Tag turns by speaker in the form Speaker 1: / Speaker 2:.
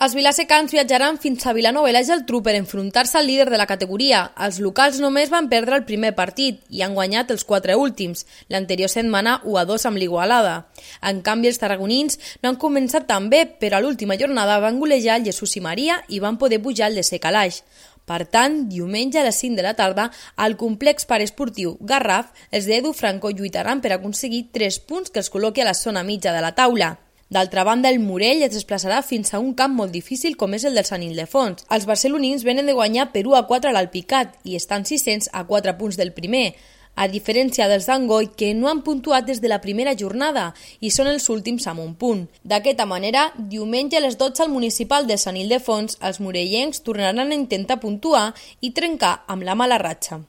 Speaker 1: Els vilasecans viatjaran fins a Vilanova i la Geltrú per enfrontar-se al líder de la categoria. Els locals només van perdre el primer partit i han guanyat els 4 últims, l'anterior setmana 1-2 amb l'Igualada. En canvi, els tarragonins no han començat tan bé, però a l'última jornada van golejar el Jesús i Maria i van poder pujar el de Secalaix. Per tant, diumenge a les 5 de la tarda, al complex paresportiu Garraf, els d'Edu Franco lluitaran per aconseguir 3 punts que els col·loqui a la zona mitja de la taula. D'altra banda, el Morell es desplaçarà fins a un camp molt difícil com és el del Sant Ildefons. Els barcelonins venen de guanyar per 1-4 a l'Alpicat i estan 600 a 4 punts del primer, a diferència dels d'Angoi, que no han puntuat des de la primera jornada i són els últims amb un punt. D'aquesta manera, diumenge a les 12 al municipal de Sant Ildefons, els morellencs tornaran a intentar puntuar i trencar amb la mala ratxa.